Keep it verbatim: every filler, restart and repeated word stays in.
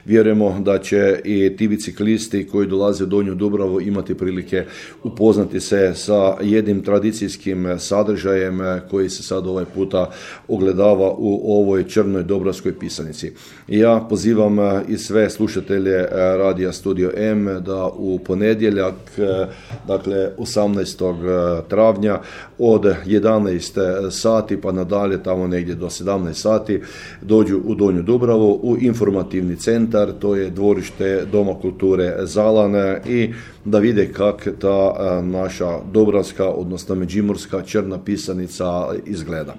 Vjerujemo da će i ti biciklisti koji dolaze u Donju Dubravu imati prilike upoznati se sa jednim tradicijskim sadržajem koji se sad ovaj puta ogledava u ovoj Črnoj Dobravskoj pisanici. Ja pozivam i sve slušatelje Radija Studio M da u ponedjeljak, dakle osamnaestog travnja od jedanaest sati pa nadalje, tamo negdje do sedamnaest sati, dođu u Donju Dubravu u informativni centar. To je dvorište Doma kulture Zalane i da vide kak ta naša dobravska, odnosno međimurska črna pisanica izgleda.